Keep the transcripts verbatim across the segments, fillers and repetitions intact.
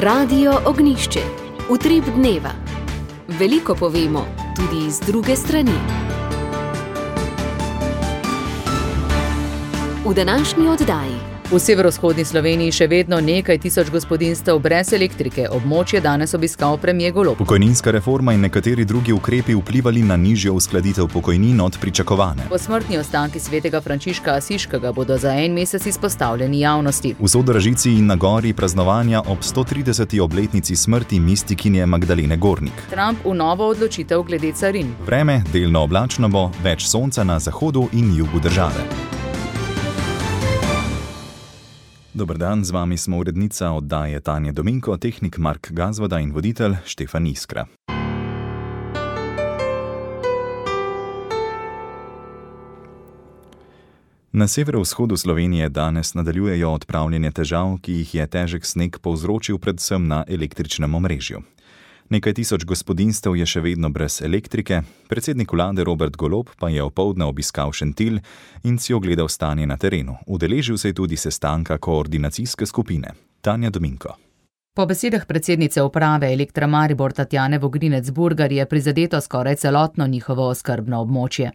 Radio Ognjišče. Utrip dneva. Veliko povemo, tudi iz druge strani. V današnji oddaji. V severovzhodni Sloveniji še vedno nekaj tisoč gospodinjstev brez elektrike. Območje danes obiskal premier Golob. Pokojninska reforma in nekateri drugi ukrepi vplivali na nižjo uskladitev pokojnin od pričakovane. Posmrtni ostanki svetega Frančiška Asiškega bodo za en mesec izpostavljeni javnosti. V Sodražici in na gori praznovanja ob sto trideseti obletnici smrti mistikinje Magdalene Gornik. Trump v novo odločitev glede carin. Vreme delno oblačno bo, več sonca na zahodu in jugu države. Dober dan, z vami smo urednica oddaje Tanja Dominko, tehnik Mark Gazvoda in voditelj Štefan Iskra. Na severovzhodu Slovenije danes nadaljujejo odpravljanje težav, ki jih je težek sneg povzročil predvsem na električnem omrežju. Nekaj tisoč gospodinjstev je še vedno brez elektrike, predsednik vlade Robert Golob pa je opoldne obiskal Šentilj in si ogledal stanje na terenu. Udeležil se je tudi sestanka koordinacijske skupine. Tanja Dominko. Po besedah predsednice uprave Elektra Maribor Tatjane Vogrinec-Burgar je prizadeto skoraj celotno njihovo oskrbno območje.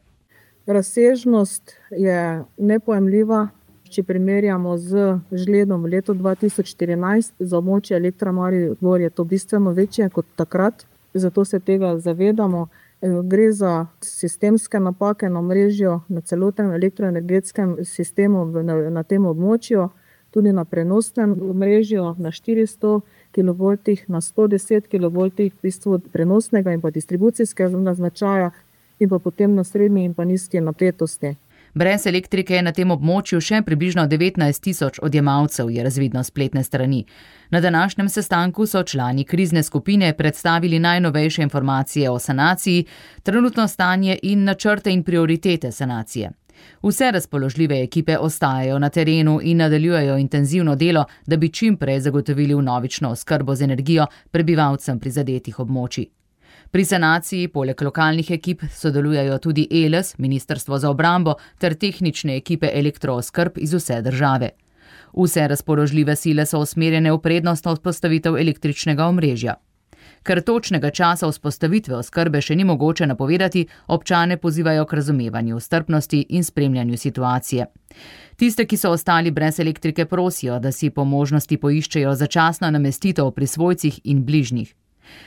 Razsežnost je nepojemljiva. Če primerjamo z žledom v letu dva tisoč štirinajst, za območje Elektra Maribor je to bistveno večje kot takrat, zato se tega zavedamo. Gre za sistemske napake na omrežju, na celotnem elektroenergetskem sistemu na, na tem območju, tudi na prenosnem omrežju na štiristo kilovoltih, na sto deset kilovoltih, v bistvu prenosnega in pa distribucijskega značaja in pa potem na srednji in pa nizki napetosti. Brez elektrike je na tem območju še približno devetnajst tisoč odjemalcev, je razvidno s spletne strani. Na današnjem sestanku so člani krizne skupine predstavili najnovejše informacije o sanaciji, trenutno stanje in načrte in prioritete sanacije. Vse razpoložljive ekipe ostajajo na terenu in nadaljujejo intenzivno delo, da bi čim prej zagotovili vnovično oskrbo z energijo prebivalcem prizadetih območij. Pri sanaciji poleg lokalnih ekip sodelujejo tudi Eles, Ministrstvo za obrambo ter tehnične ekipe elektrooskrb iz vse države. Vse razpoložljive sile so usmerjene v prednostno vzpostavitev električnega omrežja. Ker točnega časa vzpostavitve oskrbe še ni mogoče napovedati, občane pozivajo k razumevanju, strpnosti in spremljanju situacije. Tiste, ki so ostali brez elektrike, prosijo, da si po možnosti poiščejo začasno namestitev pri svojcih in bližnjih.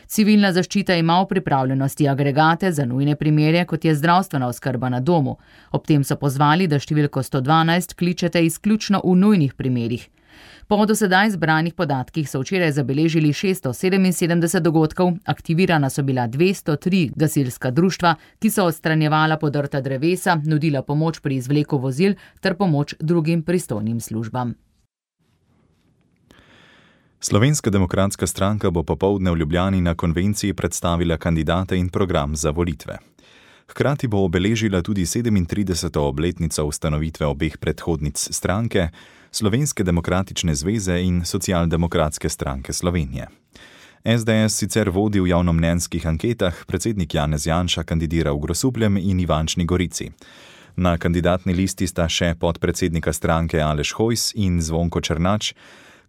Civilna zaščita ima v pripravljenosti agregate za nujne primere, kot je zdravstvena oskrba na domu. Ob tem so pozvali, da številko sto dvanajst kličete izključno v nujnih primerih. Po do sedaj zbranih podatkih so včeraj zabeležili šeststo sedeminsedemdeset dogodkov, aktivirana so bila dvesto tri gasilska društva, ki so odstranjevala podrta drevesa, nudila pomoč pri izvleku vozil ter pomoč drugim pristojnim službam. Slovenska demokratska stranka bo popoldne v Ljubljani na konvenciji predstavila kandidate in program za volitve. Hkrati bo obeležila tudi sedemintrideseto obletnico ustanovitve obeh predhodnic stranke, Slovenske demokratične zveze in Socialdemokratske stranke Slovenije. es de es sicer vodi v javnomnenjskih anketah, predsednik Janez Janša kandidira v Grosupljem in Ivančni Gorici. Na kandidatni listi sta še podpredsednika stranke Aleš Hojs in Zvonko Černač,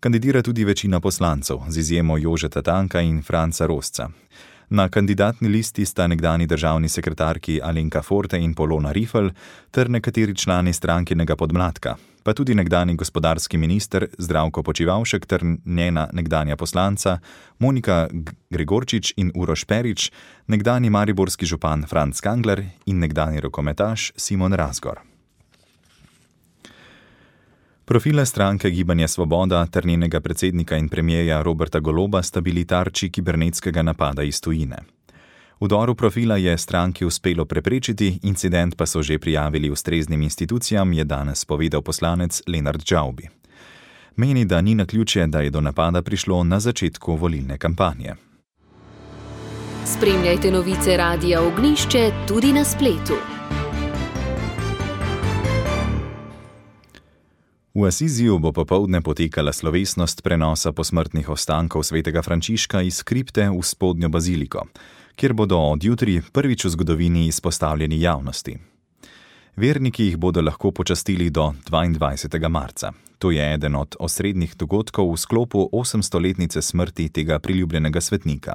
kandidira tudi večina poslancev, z izjemo Jožeta Tanka in Franca Rosca. Na kandidatni listi sta nekdanji državni sekretarki Alenka Forte in Polona Rifl ter nekateri člani strankinega podmladka, pa tudi nekdanji gospodarski minister Zdravko Počivalšek ter njena nekdanja poslanca Monika Gregorčič in Uroš Perič, nekdanji mariborski župan Franc Kangler in nekdanji rokometaš Simon Razgor. Profile stranke Gibanje Svoboda ter njenega predsednika in premierja Roberta Goloba sta bili tarči kibernetskega napada iz tujine. Vdoru profila je stranki uspelo preprečiti, incident pa so že prijavili ustreznim institucijam, je danes povedal poslanec Lenart Džavbi. Meni, da ni naključje, da je do napada prišlo na začetku volilne kampanje. Spremljajte novice Radia Ognjišče tudi na spletu. V Asiziju bo popoldne potekala slovesnost prenosa posmrtnih ostankov svetega Frančiška iz kripte v spodnjo baziliko, kjer bodo od jutri prvič v zgodovini izpostavljeni javnosti. Verniki jih bodo lahko počastili do dvaindvajsetega marca. To je eden od osrednjih dogodkov v sklopu osemstoletnice smrti tega priljubljenega svetnika.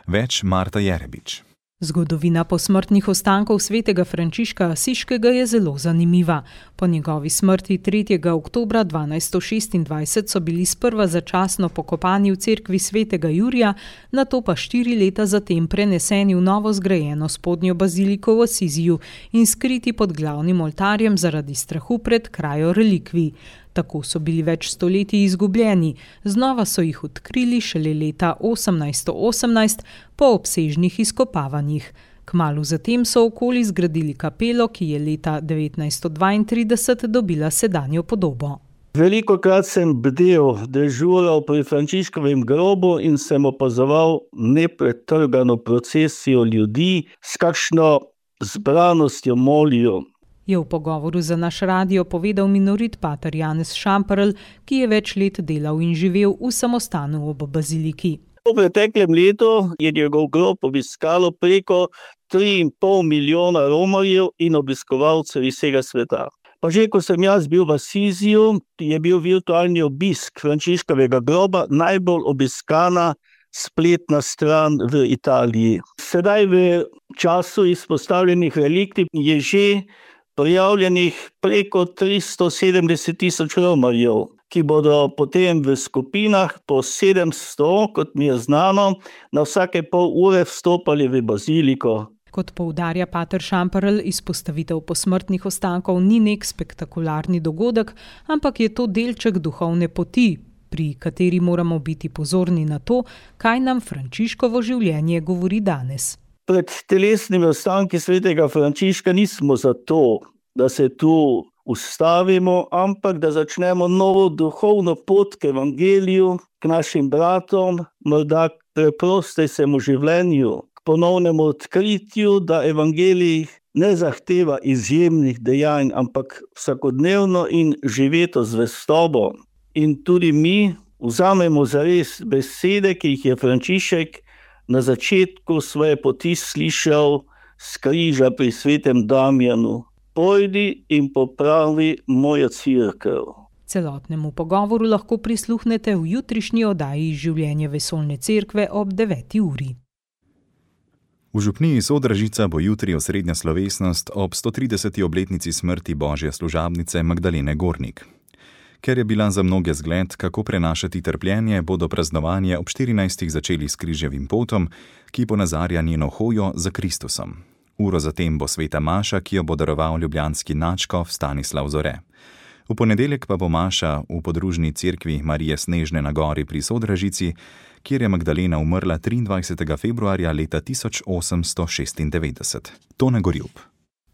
Več Marta Jerebič. Zgodovina posmrtnih ostankov svetega Frančiška Asiškega je zelo zanimiva. Po njegovi smrti tretjega oktobra dvanajststo šestindvajset so bili sprva začasno pokopani v cerkvi svetega Jurija, nato pa štiri leta zatem preneseni v novo zgrajeno spodnjo baziliko v Asiziju in skriti pod glavnim oltarjem zaradi strahu pred krajo relikvij. Tako so bili več stoletij izgubljeni, znova so jih odkrili šele leta osemnajststo osemnajst po obsežnih izkopavanjih. Kmalu zatem so okoli zgradili kapelo, ki je leta devetnajststo dvaintrideset dobila sedanjo podobo. Velikokrat sem bdel, dežural pri Frančiškovem grobu in sem opazoval nepretrgano procesijo ljudi, s kakšno zbranostjo molijo. Je v pogovoru za naš radio povedal minorit pater Janez Šamperl, ki je več let delal in živel v samostanu ob baziliki. V preteklem letu je njegov grob obiskalo preko tri in pol milijona romarjev in obiskovalcev iz vsega sveta. Pa že ko sem jaz bil v Asiziju, je bil virtualni obisk Frančiškovega groba najbolj obiskana spletna stran v Italiji. Sedaj v času izpostavljenih relikvij je že prijavljenih preko tristo sedemdeset tisoč romarjev, ki bodo potem v skupinah po sedemsto, kot mi je znano, na vsake pol ure vstopali v baziliko. Kot poudarja pater Šamperl, izpostavitev posmrtnih ostankov ni nek spektakularni dogodek, ampak je to delček duhovne poti, pri kateri moramo biti pozorni na to, kaj nam Frančiškovo življenje govori danes. Pred telesnimi ostanki svetega Frančiška nismo zato, da se tu ustavimo, ampak da začnemo novo duhovno pot k evangeliju, k našim bratom, morda k preprostejšemu življenju, k ponovnemu odkritju, da evangelij ne zahteva izjemnih dejanj, ampak vsakodnevno in živeto zvestobo. In tudi mi vzamemo zares besede, ki jih je Frančišek na začetku svoje poti slišal s križa pri svetem Damjanu. Pojdi in popravi mojo cerkev. Celotnemu pogovoru lahko prisluhnete v jutrišnji oddaji Življenje vesoljne cerkve ob deveti uri. V župniji Sodražica bo jutri osrednja slovesnost ob stotrideseti obletnici smrti božje služabnice Magdalene Gornik. Ker je bila za mnoge zgled, kako prenašati trpljenje, bodo praznovanje ob štirinajstih začeli s križevim potom, ki ponazarja njeno hojo za Kristusom. Uro zatem bo sveta maša, ki jo bo daroval ljubljanski nadškof Stanislav Zore. V ponedeljek pa bo maša v podružni cerkvi Marije Snežne na gori pri Sodražici, kjer je Magdalena umrla triindvajsetega februarja leta tisoč osemsto šestindevetdeset. Tone Gorjup.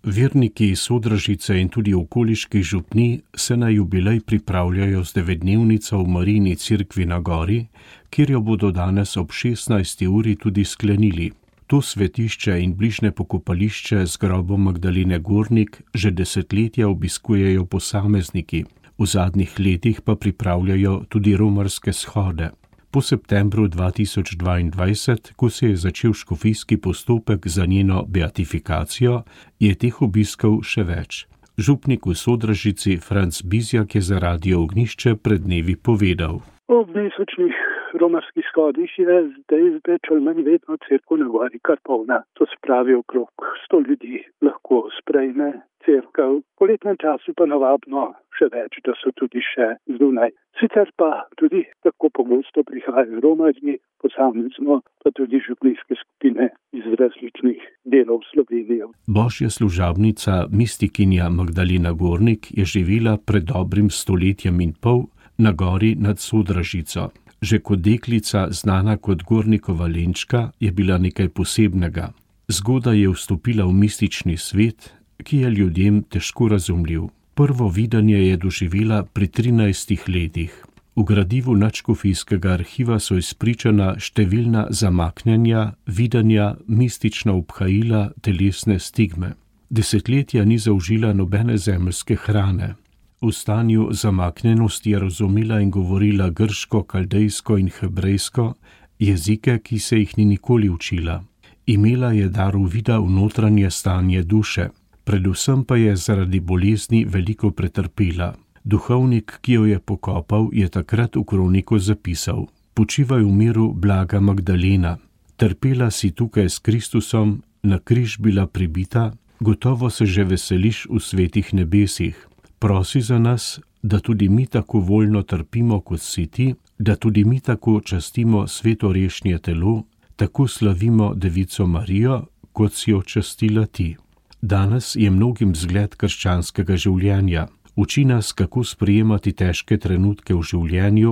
Verniki iz Sodražice in tudi okoliških župnij se na jubilej pripravljajo z devetdnevnico v Marijini cerkvi na gori, kjer jo bodo danes ob šestnajsti uri tudi sklenili. To svetišče in bližnje pokopališče z grobom Magdalene Gornik že desetletja obiskujejo posamezniki, v zadnjih letih pa pripravljajo tudi romarske shode. Po septembru dva tisoč dvaindvajset, ko se je začel škofijski postopek za njeno beatifikacijo, je teh obiskov še več. Župnik v Sodražici Franc Bizjak je za Radio Ognjišče pred dnevi povedal. Ob mesečnih romarskih shodih je zdaj več ali manj vedno cerkev na gori kar polna. To se pravi, okrog sto ljudi lahko sprejme cerkev. V poletnem času pa navadno še več, da so tudi še zunaj. Sicer pa tudi tako pogosto prihajajo romarji, posamezno pa tudi župnijske skupine iz različnih delov Slovenije. Božja služabnica, mistikinja Magdalena Gornik, je živela pred dobrim stoletjem in pol na gori nad Sodražico. Že kot deklica, znana kot Gornikova Lenčka, je bila nekaj posebnega. Zgodaj je vstopila v mistični svet, ki je ljudem težko razumljiv. Prvo videnje je doživela pri trinajstih letih. V gradivu nadškofijskega arhiva so izpričana številna zamaknjenja, videnja, mistična obhajila, telesne stigme. Desetletja ni zaužila nobene zemeljske hrane. V stanju zamaknjenosti je razumela in govorila grško, kaldejsko in hebrejsko, jezike, ki se jih ni nikoli učila. Imela je dar uvida v notranje stanje duše. Predvsem pa je zaradi bolezni veliko pretrpela. Duhovnik, ki jo je pokopal, je takrat v kroniku zapisal: Počivaj v miru, blaga Magdalena. Trpela si tukaj s Kristusom, na križ bila pribita, gotovo se že veseliš v svetih nebesih. Prosi za nas, da tudi mi tako voljno trpimo kot si ti, da tudi mi tako častimo svetorešnje telo, tako slavimo Devico Marijo, kot si jo častila ti. Danes je mnogim zgled krščanskega življenja. Uči nas, kako sprejemati težke trenutke v življenju,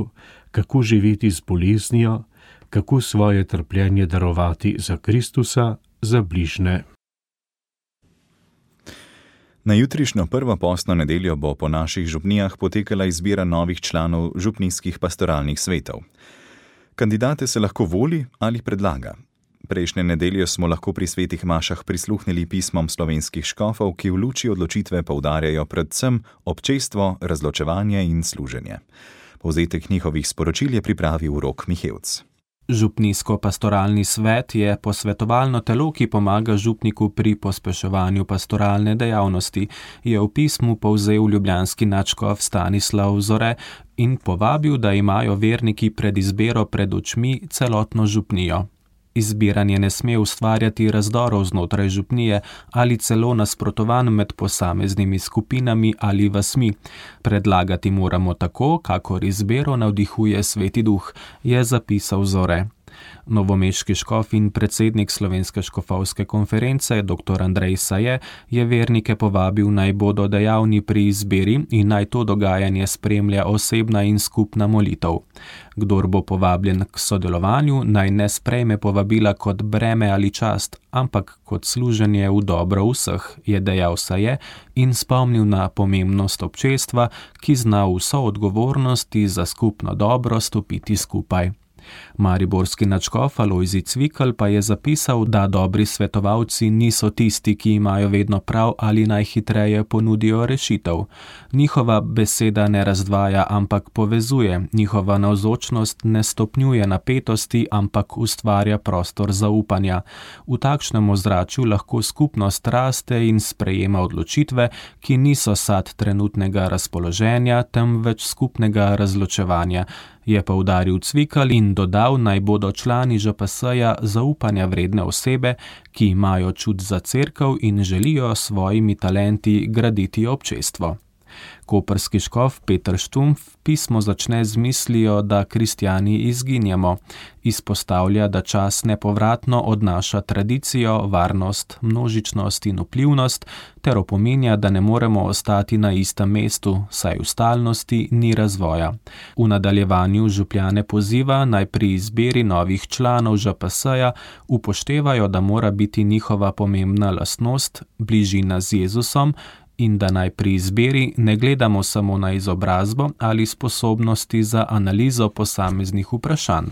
kako živeti z boleznijo, kako svoje trpljenje darovati za Kristusa, za bližne. Na jutrišnjo prvo postno nedeljo bo po naših župnijah potekala izbira novih članov župnijskih pastoralnih svetov. Kandidate se lahko voli ali predlaga. Prejšnje nedelje smo lahko pri svetih mašah prisluhnili pismom slovenskih škofov, ki v luči odločitve poudarjajo predvsem občestvo, razločevanje in služenje. Povzetek njihovih sporočil je pripravil Rok Mihevc. Župnijsko-pastoralni svet je posvetovalno telo, ki pomaga župniku pri pospeševanju pastoralne dejavnosti, je v pismu povzel ljubljanski nadškof Stanislav Zore in povabil, da imajo verniki pred izbiro pred očmi celotno župnijo. Izbiranje ne sme ustvarjati razdorov znotraj župnije ali celo nasprotovanj med posameznimi skupinami ali vasmi. Predlagati moramo tako, kakor izbiro navdihuje Sveti Duh, je zapisal Zore. Novomeški škof in predsednik Slovenske škofovske konference dr. Andrej Saje je vernike povabil, naj bodo dejavni pri izbiri in naj to dogajanje spremlja osebna in skupna molitev. Kdor bo povabljen k sodelovanju, naj ne sprejme povabila kot breme ali čast, ampak kot služenje v dobro vseh, je dejal Saje in spomnil na pomembnost občestva, ki zna vso odgovornosti za skupno dobro stopiti skupaj. Mariborski nadškof Alojzij Cvikl pa je zapisal, da dobri svetovalci niso tisti, ki imajo vedno prav ali najhitreje ponudijo rešitev. Njihova beseda ne razdvaja, ampak povezuje, njihova navzočnost ne stopnjuje napetosti, ampak ustvarja prostor zaupanja. V takšnem ozračju lahko skupnost raste in sprejema odločitve, ki niso sad trenutnega razpoloženja, temveč skupnega razločevanja, je poudaril Cvikl in dodal, naj bodo člani Ž P S-ja zaupanja vredne osebe, ki imajo čut za cerkev in želijo s svojimi talenti graditi občestvo. Koprski škof Peter Štumpf pismo začne z mislijo, da kristjani izginjamo. Izpostavlja, da čas nepovratno odnaša tradicijo, varnost, množičnost in vplivnost, ter opominja, da ne moremo ostati na istem mestu, saj v stalnosti ni razvoja. V nadaljevanju župljane poziva, naj pri izbiri novih članov Ž P S-ja upoštevajo, da mora biti njihova pomembna lastnost bližina z Jezusom, in da naj pri izbiri ne gledamo samo na izobrazbo ali sposobnosti za analizo posameznih vprašanj.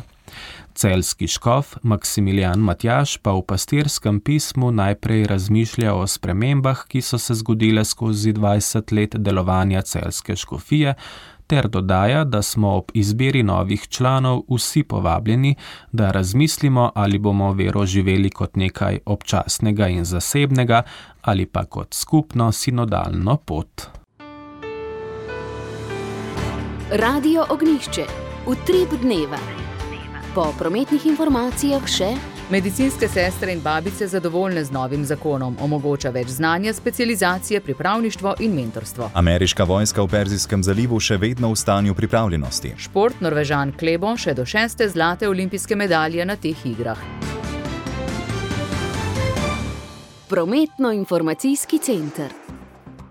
Celjski škof Maksimilijan Matjaž pa v pastirskem pismu najprej razmišlja o spremembah, ki so se zgodile skozi dvajset let delovanja celjske škofije, ter dodaja, da smo ob izbiri novih članov vsi povabljeni, da razmislimo, ali bomo vero živeli kot nekaj občasnega in zasebnega ali pa kot skupno sinodalno pot. Radio Ognjišče. Utrip dneva. Po prometnih informacijah še: medicinske sestre in babice zadovoljne z novim zakonom, omogoča več znanja, specializacije, pripravništvo in mentorstvo. Ameriška vojska v Perzijskem zalivu še vedno v stanju pripravljenosti. Šport, Norvežan Klebo še do šeste zlate olimpijske medalje na teh igrah. Prometno-informacijski center.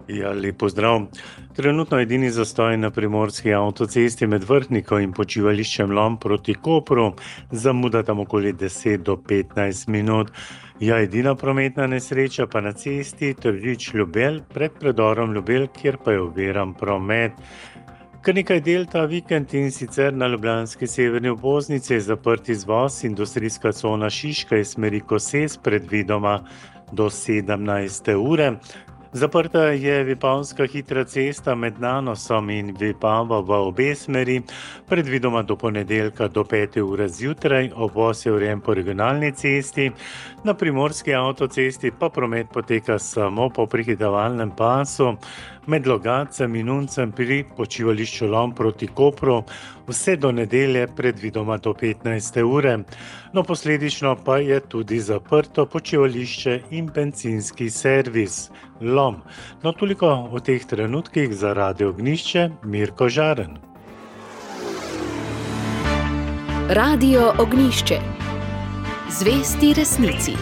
Ja, lep pozdrav. Trenutno edini zastoj na primorski avtocesti med Vrhnikom in počivališčem Lom proti Kopru, zamuda tam okoli deset do petnajst minut. Ja, edina prometna nesreča pa na cesti Tržič-Ljubelj pred predorom Ljubelj, kjer pa je oviran promet. Kar nekaj del ta vikend in sicer na ljubljanski severni obvoznici je zaprt izvoz, industrijska cona Šiška iz smeri Koses predvidoma do sedemnajste ure. Zaprta je Vipavska hitra cesta med Nanosom in Vipavo v obe smeri, predvidoma do ponedeljka do pete ure zjutraj, obvoz je urejen po regionalni cesti, na primorski avtocesti pa promet poteka samo po prehitevalnem pasu, med Logatcem in Uncem pri počivališču Lom proti Kopru, vse do nedelje predvidoma do petnajste ure. No, posledično pa je tudi zaprto počivališče in bencinski servis Lom. No, toliko v teh trenutkih za Radio Ognjišče, Mirko Žaren. Radio Ognjišče. Zvesti resnici.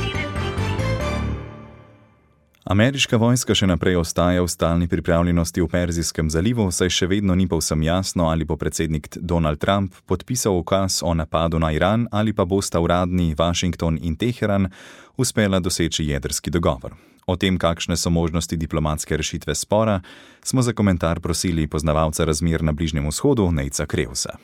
Ameriška vojska še naprej ostaja v stalni pripravljenosti v Perzijskem zalivu, saj še vedno ni povsem jasno, ali bo predsednik Donald Trump podpisal ukaz o napadu na Iran ali pa bosta uradni Washington in Teheran uspela doseči jedrski dogovor. O tem, kakšne so možnosti diplomatske rešitve spora, smo za komentar prosili poznavalca razmer na Bližnjem vzhodu Nejca Krevsa.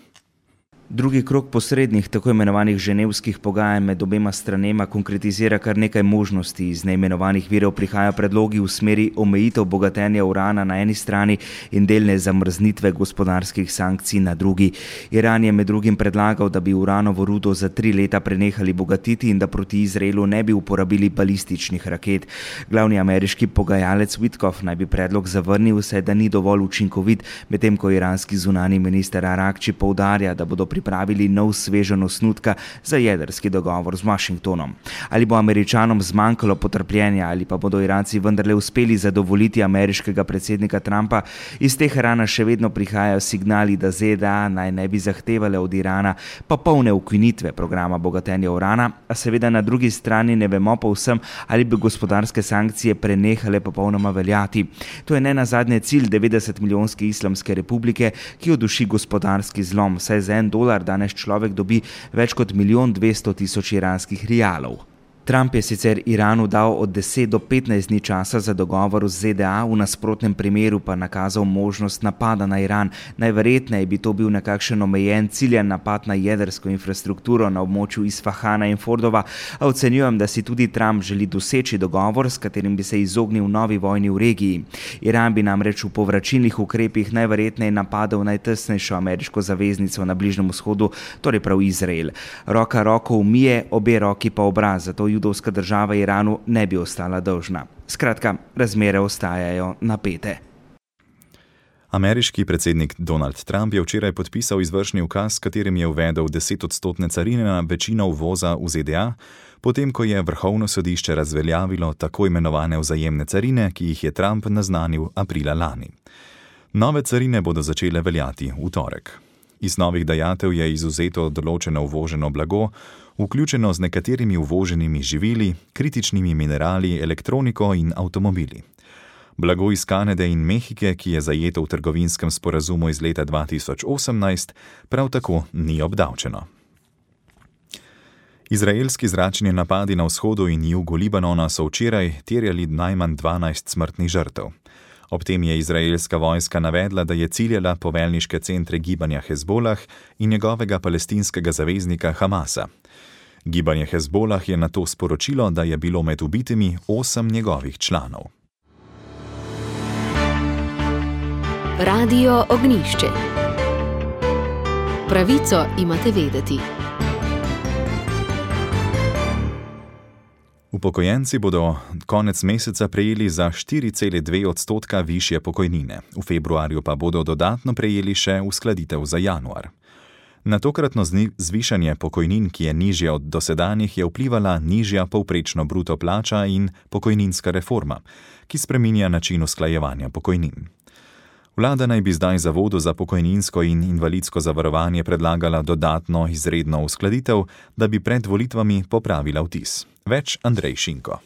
Drugi krog posrednih, tako imenovanih ženevskih pogajanj med obema stranema konkretizira kar nekaj možnosti. Iz neimenovanih virov prihajajo predlogi v smeri omejitev bogatenja urana na eni strani in delne zamrznitve gospodarskih sankcij na drugi. Iran je med drugim predlagal, da bi uranovo rudo za tri leta prenehali bogatiti in da proti Izraelu ne bi uporabili balističnih raket. Glavni ameriški pogajalec Witkoff naj bi predlog zavrnil, saj da ni dovolj učinkovit, medtem ko iranski zunani minister Arakči poudarja, da bodo pripravili nov sveženj osnutka za jedrski dogovor z Washingtonom. Ali bo Američanom zmanjkalo potrpljenja ali pa bodo Iranci vendarle uspeli zadovoljiti ameriškega predsednika Trumpa, iz Teherana še vedno prihajajo signali, da Z D A naj ne bi zahtevale od Irana popolne ukinitve programa bogatenja urana, a seveda na drugi strani ne vemo povsem, ali bi gospodarske sankcije prenehale popolnoma veljati. To je ne nazadnje cilj devetdeset milijonske Islamske republike, ki jo duši gospodarski zlom, saj za en dolar danes človek dobi več kot milijon dvesto tisoč iranskih rialov. Trump je sicer Iranu dal od deset do petnajst dni časa za dogovor z Z D A, v nasprotnem primeru pa nakazal možnost napada na Iran. Najverjetneje bi to bil nekakšen omejen ciljan napad na jedrsko infrastrukturo na območju Isfahana in Fordova, a ocenjujem, da si tudi Trump želi doseči dogovor, s katerim bi se izognil novi vojni v regiji. Iran bi namreč v povračilnih ukrepih najverjetneje napadel najtesnejšo ameriško zaveznico na Bližnjem vzhodu, torej prav Izrael. Roka roko umije, obe roki pa obraz, zato judovska država Iranu ne bi ostala dolžna. Skratka, razmere ostajajo napete. Ameriški predsednik Donald Trump je včeraj podpisal izvršni ukaz, s katerim je uvedel desetodstotne carine na večino uvoza v Z D A, potem ko je Vrhovno sodišče razveljavilo tako imenovane vzajemne carine, ki jih je Trump naznanil aprila lani. Nove carine bodo začele veljati v torek. Iz novih dajatev je izuzeto določeno uvoženo blago, vključeno z nekaterimi uvoženimi živili, kritičnimi minerali, elektroniko in avtomobili. Blago iz Kanade in Mehike, ki je zajeto v trgovinskem sporazumu iz leta dva tisoč osemnajst, prav tako ni obdavčeno. Izraelski zračni napadi na vzhodu in jugu Libanona so včeraj terjali najmanj dvanajst smrtnih žrtev. Ob tem je izraelska vojska navedla, da je ciljala poveljniške centre gibanja Hezbolah in njegovega palestinskega zaveznika Hamasa. Gibanje Hezbolah je nato sporočilo, da je bilo med ubitimi osem njegovih članov. Radio Ognjišče. Pravico imate vedeti. Upokojenci bodo konec meseca prejeli za štiri cele dve odstotka višje pokojnine. V februarju pa bodo dodatno prejeli še uskladitev za januar. Na tokratno zvišanje pokojnin, ki je nižja od dosedanjih, je vplivala nižja povprečno bruto plača in pokojninska reforma, ki spreminja način usklajevanja pokojnin. Vlada naj bi zdaj Zavodu za pokojninsko in invalidsko zavarovanje predlagala dodatno izredno uskladitev, da bi pred volitvami popravila vtis. Več Andrej Šinko.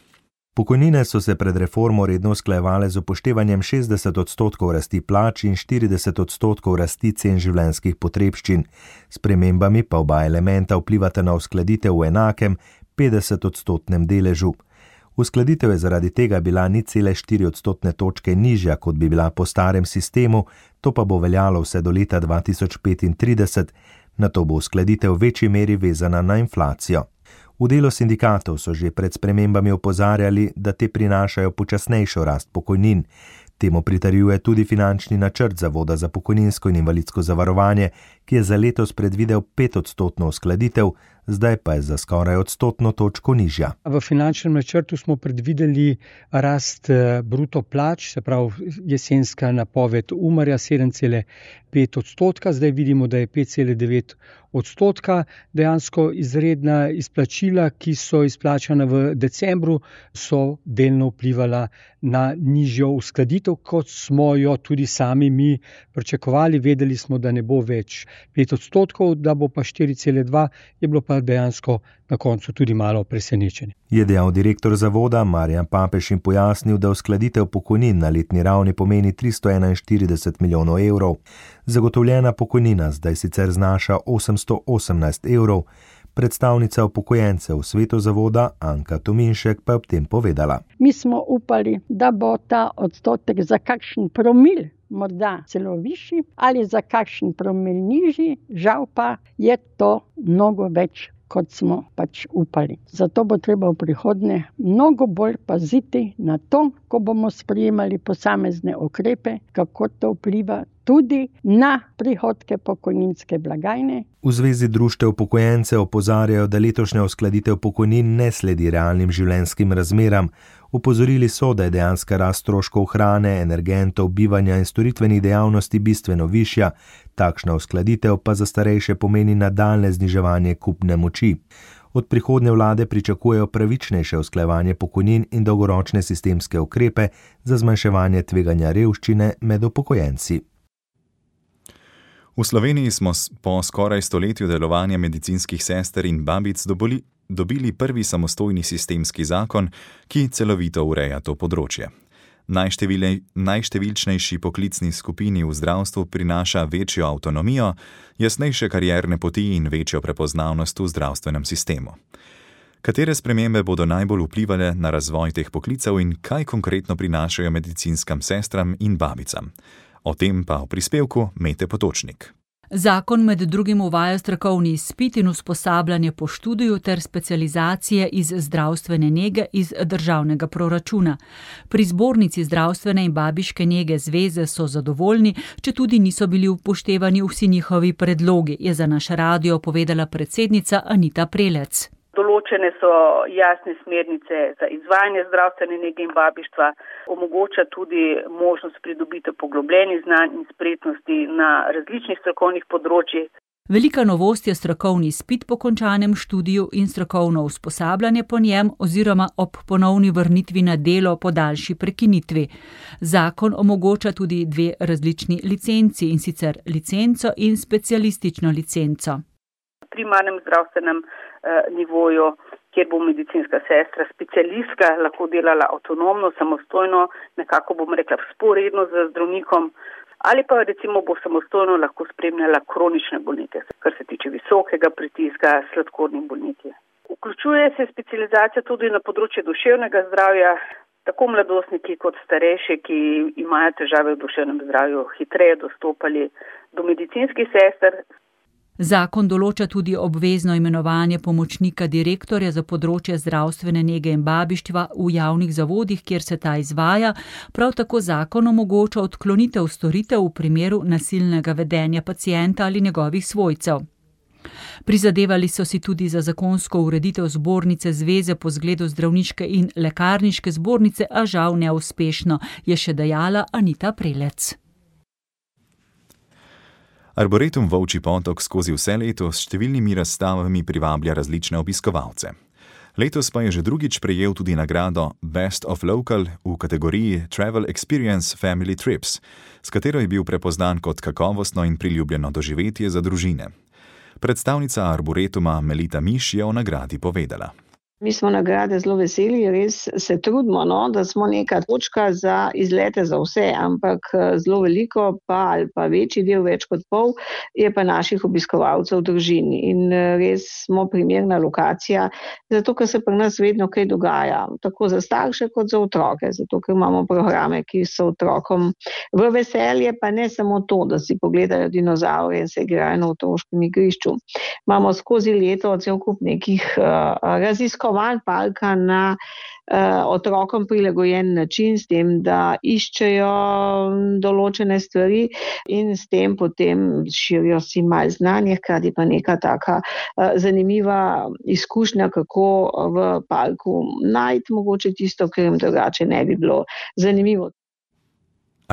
Pokojnine so se pred reformo redno usklajevale z upoštevanjem šestdeset odstotkov rasti plač in štirideset odstotkov rasti cen življenjskih potrebščin. S spremembami pa oba elementa vplivata na uskladitev v enakem petdeset odstotnem deležu. Uskladitev je zaradi tega bila nič cele štiri odstotne točke nižja, kot bi bila po starem sistemu, to pa bo veljalo vse do leta dva tisoč petintrideset, nato bo uskladitev v večji meri vezana na inflacijo. V delu sindikatov so že pred spremembami opozarjali, da te prinašajo počasnejšo rast pokojnin. Temu pritrjuje tudi finančni načrt Zavoda za pokojninsko in invalidsko zavarovanje, ki je za letos predvidel petodstotno uskladitev, zdaj pa je za skoraj odstotno točko nižja. V finančnem načrtu smo predvideli rast bruto plač, se pravi jesenska napoved Umarja sedem cela pet odstotka, zdaj vidimo, da je pet cela devet odstotka. Dejansko izredna izplačila, ki so izplačana v decembru, so delno vplivala na nižjo uskladitev, kot smo jo tudi sami mi pričakovali. Vedeli smo, da ne bo več pet odstotkov, da bo pa štiri cela dva, je bilo pa dejansko na koncu tudi malo presenečenje. Je dejal direktor zavoda Marjan Papež in pojasnil, da uskladitev pokojnin na letni ravni pomeni tristo enainštirideset milijonov evrov. Zagotovljena pokojnina zdaj sicer znaša osemsto osemnajst evrov. Predstavnica upokojencev v svetu zavoda Anka Tominšek pa je ob tem povedala. Mi smo upali, da bo ta odstotek za kakšen promil morda celo višji ali za kakšen promil nižji, žal pa je to mnogo več, kot smo pač upali. Zato bo treba v prihodnje mnogo bolj paziti na to, ko bomo sprejemali posamezne ukrepe, kako to vpliva tudi na prihodke pokojninske blagajne. V Zvezi društev upokojencev opozarjajo, da letošnja uskladitev pokojnin ne sledi realnim življenjskim razmeram. Upozorili so, da je dejanska rast stroškov hrane, energentov, bivanja in storitvenih dejavnosti bistveno višja, takšna uskladitev pa za starejše pomeni nadaljnje zniževanje kupne moči. Od prihodnje vlade pričakujejo pravičnejše usklajevanje pokojnin in dolgoročne sistemske ukrepe za zmanjševanje tveganja revščine med upokojenci. V Sloveniji smo po skoraj stoletju delovanja medicinskih sester in babic dobili, dobili prvi samostojni sistemski zakon, ki celovito ureja to področje. Najštevilčnejši poklicni skupini v zdravstvu prinaša večjo avtonomijo, jasnejše karierne poti in večjo prepoznavnost v zdravstvenem sistemu. Katere spremembe bodo najbolj vplivale na razvoj teh poklicev in kaj konkretno prinašajo medicinskam sestram in babicam? O tem pa v prispevku Mete Potočnik. Zakon med drugim uvaja strokovni izpit in usposabljanje po študiju ter specializacije iz zdravstvene nege iz državnega proračuna. Pri Zbornici zdravstvene in babiške nege zveze so zadovoljni, če tudi niso bili upoštevani vsi njihovi predlogi, je za naš radio povedala predsednica Anita Prelec. Določene so jasne smernice za izvajanje zdravstvene nege in babištva, omogoča tudi možnost pridobitev poglobljenih znanj in spretnosti na različnih strokovnih področjih. Velika novost je strokovni izpit po končanem študiju in strokovno usposabljanje po njem oziroma ob ponovni vrnitvi na delo po daljši prekinitvi. Zakon omogoča tudi dve različni licenci, in sicer licenco in specialistično licenco. V primarnem zdravstvenem eh, nivoju, kjer bo medicinska sestra, specialistka, lahko delala avtonomno, samostojno, nekako bom rekla vzporedno z zdravnikom, ali pa recimo bo samostojno lahko spremljala kronične bolnike, kar se tiče visokega pritiska, sladkornih bolniki. Vključuje se specializacija tudi na področju duševnega zdravja, tako mladostniki kot starejši, ki imajo težave v duševnem zdravju, hitreje dostopali do medicinskih sester. Zakon določa tudi obvezno imenovanje pomočnika direktorja za področje zdravstvene nege in babištva v javnih zavodih, kjer se ta izvaja. Prav tako zakon omogoča odklonitev storitev v primeru nasilnega vedenja pacienta ali njegovih svojcev. Prizadevali so si tudi za zakonsko ureditev zbornice zveze po zgledu zdravniške in lekarniške zbornice, a žal neuspešno, je še dejala Anita Prelec. Arboretum Volčji Potok skozi vse leto s številnimi razstavami privablja različne obiskovalce. Letos pa je že drugič prejel tudi nagrado Best of Local v kategoriji Travel Experience Family Trips, s katero je bil prepoznan kot kakovostno in priljubljeno doživetje za družine. Predstavnica Arboretuma Melita Miš je o nagradi povedala. Mi smo nagrade zelo veseli, res se trudimo, no, da smo neka točka za izlete za vse, ampak zelo veliko pa ali pa večji del, več kot pol, je pa naših obiskovalcev v družini in res smo primerna lokacija, zato ker se pri nas vedno kaj dogaja, tako za starše kot za otroke, zato ker imamo programe, ki so otrokom v veselje, pa ne samo to, da si pogledajo dinozaure in se igrajo na otroškem igrišču. Imamo skozi leto cel kup nekih uh, raziskov parka na uh, otrokom prilagojen način, s tem, da iščejo določene stvari in s tem potem širijo si malo znanje, hkrati pa neka taka uh, zanimiva izkušnja, kako v parku najti mogoče tisto, kar jim drugače ne bi bilo zanimivo.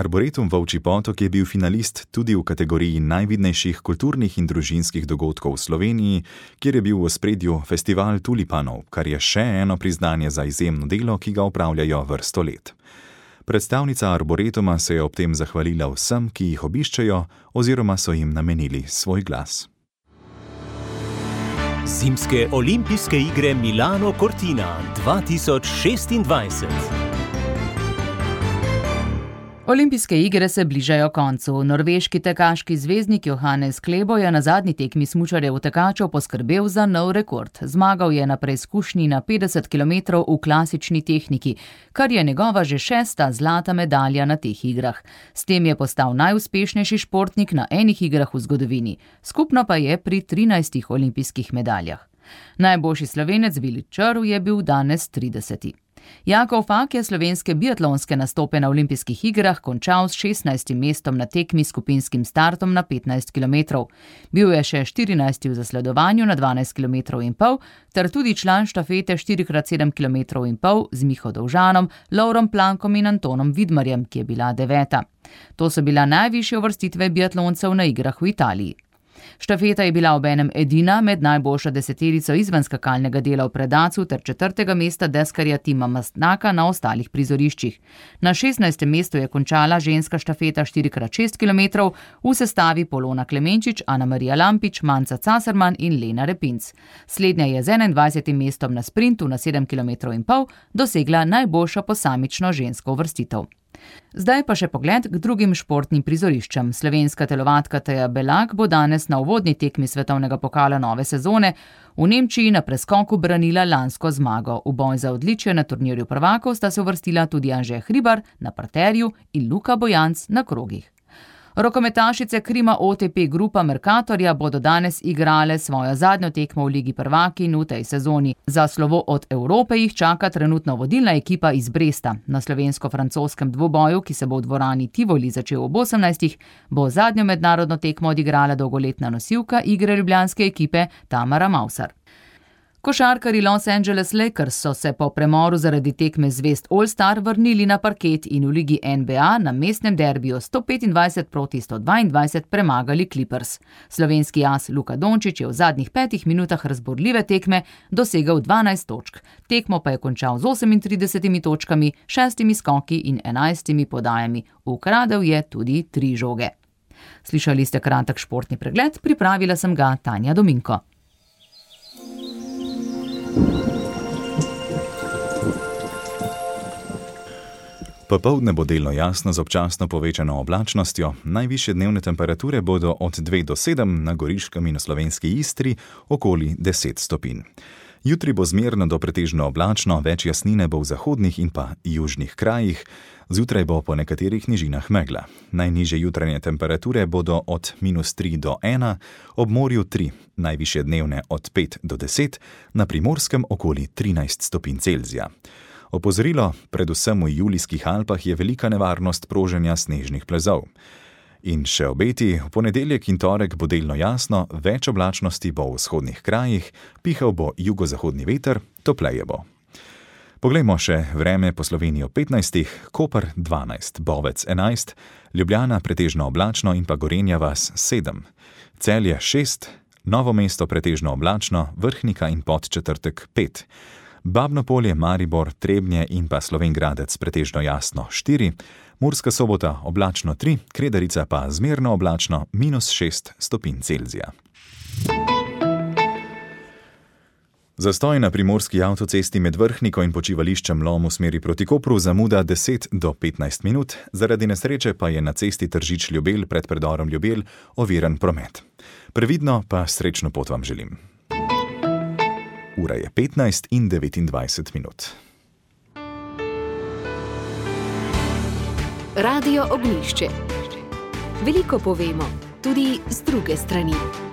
Arboretum Volčji Potok je bil finalist tudi v kategoriji najvidnejših kulturnih in družinskih dogodkov v Sloveniji, kjer je bil v ospredju festival tulipanov, kar je še eno priznanje za izjemno delo, ki ga opravljajo vrsto let. Predstavnica Arboretuma se je ob tem zahvalila vsem, ki jih obiščejo oziroma so jim namenili svoj glas. Zimske olimpijske igre Milano Cortina dva tisoč šestindvajset. Olimpijske igre se bližajo koncu. Norveški tekaški zvezdnik Johannes Klebo je na zadnji tekmi smučarjev tekačev poskrbel za nov rekord. Zmagal je na preizkušnji na petdeset kilometrov v klasični tehniki, kar je njegova že šesta zlata medalja na teh igrah. S tem je postal najuspešnejši športnik na enih igrah v zgodovini. Skupno pa je pri trinajstih olimpijskih medaljah. Najboljši Slovenec Vili Črv je bil danes trideseti. Jakov Fak je slovenske biatlonske nastope na olimpijskih igrah končal s šestnajstim mestom na tekmi s skupinskim startom na petnajst kilometrov. Bil je še štirinajsti v zasledovanju na dvanajst kilometrov in pol, ter tudi član štafete štiri krat sedem kilometrov in pol z Miho Dovžanom, Lovrom Plankom in Antonom Vidmarjem, ki je bila deveta. To so bila najvišje uvrstitve biatloncev na igrah v Italiji. Štafeta je bila obenem edina med najboljšo deseterico izven skakalnega dela v predacu ter četrtega mesta deskarja Tima Mastnaka na ostalih prizoriščih. Na šestnajstem mestu je končala ženska štafeta štiri krat šest kilometrov v sestavi Polona Klemenčič, Ana Marija Lampič, Manca Casarman in Lena Repinc. Slednja je z enaindvajsetim mestom na sprintu na sedem kilometrov in pol dosegla najboljšo posamično žensko uvrstitev. Zdaj pa še pogled k drugim športnim prizoriščem. Slovenska telovadka Teja Belak bo danes na uvodni tekmi svetovnega pokala nove sezone v Nemčiji na preskoku branila lansko zmago. V boj za odličje na turnirju prvakov sta se uvrstila tudi Anže Hribar na parterju in Luka Bojanc na krogih. Rokometašice Krima O T P Grupa Mercatorja bodo danes igrale svojo zadnjo tekmo v Ligi prvakinj v tej sezoni. Za slovo od Evrope jih čaka trenutno vodilna ekipa iz Bresta. Na slovensko-francoskem dvoboju, ki se bo v dvorani Tivoli začel ob osemnajstih, bo zadnjo mednarodno tekmo odigrala dolgoletna nosilka igre ljubljanske ekipe Tamara Mavsar. Košarkarji Los Angeles Lakers so se po premoru zaradi tekme zvezd All-Star vrnili na parket in v ligi N B A na mestnem derbiju sto petindvajset proti sto dvaindvajset premagali Clippers. Slovenski as Luka Dončić je v zadnjih petih minutah razborljive tekme dosegel dvanajst točk. Tekmo pa je končal z osemintridesetimi točkami, šestimi skoki in enajstimi podajami. Ukradel je tudi tri žoge. Slišali ste kratek športni pregled, pripravila sem ga Tanja Dominko. Popoldne bo delno jasno z občasno povečano oblačnostjo, najvišje dnevne temperature bodo od dve do sedem, na Goriškem in v slovenski Istri okoli deset stopinj. Jutri bo zmerno do pretežno oblačno, več jasnine bo v zahodnih in pa južnih krajih, zjutraj bo po nekaterih nižinah megla. Najnižje jutranje temperature bodo od minus tri do ena, ob morju tri, najvišje dnevne od pet do deset, na Primorskem okoli trinajst stopinj Celzija. Opozorilo, predvsem v Julijskih Alpah je velika nevarnost proženja snežnih plazov. In še obeti, v ponedeljek in torek bo delno jasno, več oblačnosti bo v vzhodnih krajih, pihal bo jugozahodni veter, topleje bo. Poglejmo še vreme po Sloveniji ob petnajstih, Koper dvanajst, Bovec enajst, Ljubljana pretežno oblačno in pa Gorenja vas sedem, Celje šest, Novo mesto pretežno oblačno, Vrhnika in Podčetrtek pet, Babno Polje, Maribor, Trebnje in pa Slovenj Gradec pretežno jasno štiri, Murska Sobota oblačno tri, Kredarica pa zmerno oblačno minus šest stopinj Celzija. Zastoj na primorski avtocesti med Vrhniko in počivališčem Lom v smeri proti Kopru zamuda deset do petnajst minut, zaradi nesreče pa je na cesti Tržič-Ljubelj pred predorom Ljubelj oviran promet. Previdno pa srečno pot vam želim. Ura je petnajst in devetindvajset minut. Radio Ognjišče. Veliko povemo, tudi z druge strani.